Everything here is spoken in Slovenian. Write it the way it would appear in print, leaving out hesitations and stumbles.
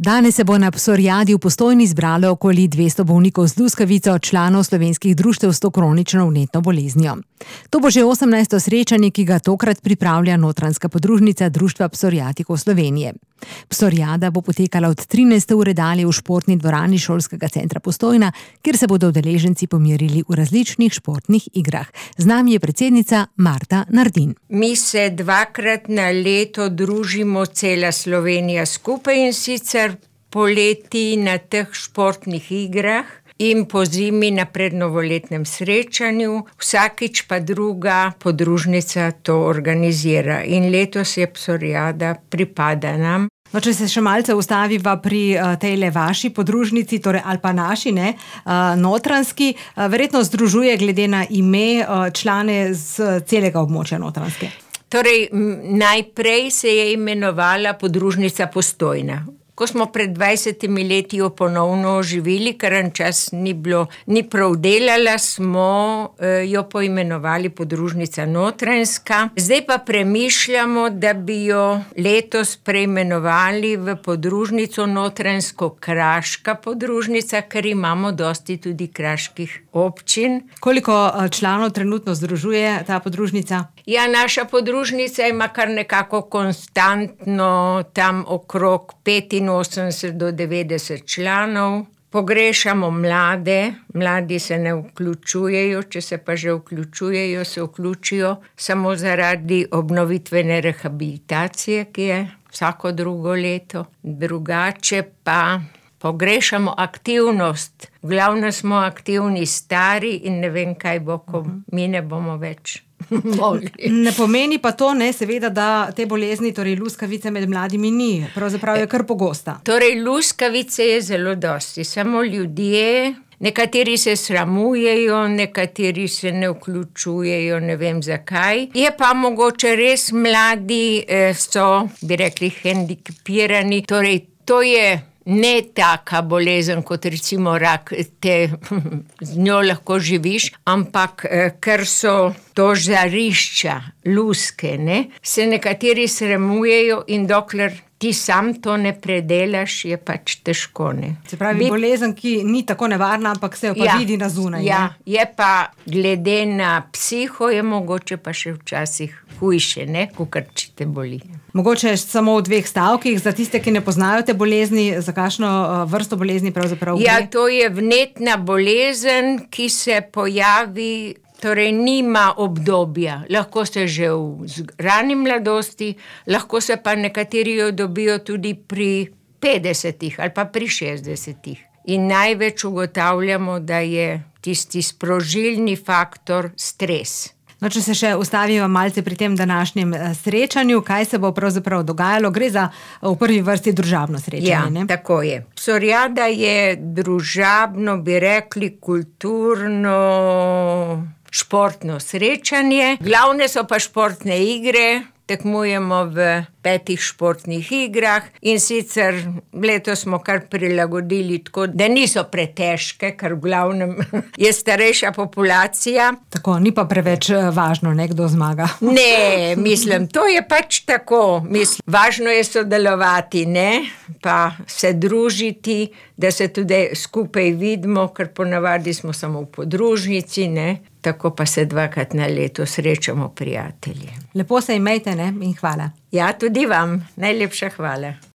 Danes se bo na psoriadi v Postojni zbralo okoli 200 bolnikov z luskavico, članov slovenskih društev s to kronično vnetno boleznijo. To bo že 18. srečanje, ki ga tokrat pripravlja Notranjska podružnica Društva psoriatikov Slovenije. Psoriada bo potekala od 13. ure dalje v športni dvorani Šolskega centra Postojna, kjer se bodo udeleženci pomerili v različnih športnih igrah. Z nami je predsednica Marta Nardin. Mi se dvakrat na leto družimo cela Slovenija skupaj, in sicer poleti na teh športnih igrah in pozimi na prednovoletnem srečanju. Vsakič pa druga podružnica to organizira in letos je psoriada pripada nam. No, če se še malce ustaviva pri tejle vaši podružnici, torej ali pa naši, Notranjski, verjetno združuje glede na ime člane z celega območja Notranjske. Torej, najprej se je imenovala podružnica Postojna. Ko smo pred 20 leti jo ponovno oživili, ker en čas ni prav delala, smo jo poimenovali podružnica Notranjska. Zdaj pa premišljamo, da bi jo letos preimenovali v podružnico Notranjsko-kraška podružnica, ker imamo dosti tudi kraških občin. Koliko članov trenutno združuje ta podružnica? Ja, naša podružnica ima kar nekako konstantno tam okrog 85 do 90 članov. Pogrešamo mladi se ne vključujejo, če se pa že vključujejo, se vključijo samo zaradi obnovitvene rehabilitacije, ki je vsako drugo leto. Drugače pa pogrešamo aktivnost. V glavnem smo aktivni stari in ne vem, kaj bo, ko mi ne bomo več mogli. Ne pomeni pa to, seveda, da te bolezni, torej luskavice med mladimi ni. Pravzaprav je kar pogosta. Torej, luskavice je zelo dosti. Samo ljudje, nekateri se sramujejo, nekateri se ne vključujejo, ne vem zakaj. Je pa mogoče res mladi so, bi rekli, hendikepirani. Torej, to je ne taka bolezen kot recimo rak, z njo lahko živiš, ampak ker so to žarišča, luske, se nekateri sramujejo in dokler ti sam to ne predelaš, je pač težko, Se pravi, bolezen, ki ni tako nevarna, ampak se jo pa vidi na zunaj. Ja, je pa glede na psiho je mogoče pa še včasih hujše, kakor če te boli. Mogoče samo v 2 stavkih, za tiste, ki ne poznajo te bolezni, za kakšno vrsto bolezni pravzaprav gre? Ja, to je vnetna bolezen, ki se pojavi, torej nima obdobja. Lahko se že v rani mladosti, lahko se pa nekateri jo dobijo tudi pri 50 ali pa pri 60. In največ ugotavljamo, da je tisti sprožilni faktor stres. No, če se še ustaviva malce pri tem današnjem srečanju, kaj se bo pravzaprav dogajalo? Gre za v prvi vrsti družabno srečanje, Ja, tako je. Psoriada je družabno, bi rekli, kulturno, športno srečanje. Glavne so pa športne igre. Tekmujemo v 5 športnih igrah in sicer letos smo kar prilagodili tako, da niso pretežke, ker v glavnem je starejša populacija. Tako, ni pa preveč važno, kdo zmaga. Ne, mislim, to je pač tako. Važno je sodelovati, pa se družiti, da se tudi skupaj vidimo, ker ponavadi smo samo v podružnici, Tako pa se 2krat na leto srečamo prijatelji. Lepo se imejte, in hvala. Ja, tudi vam. Najlepša hvala.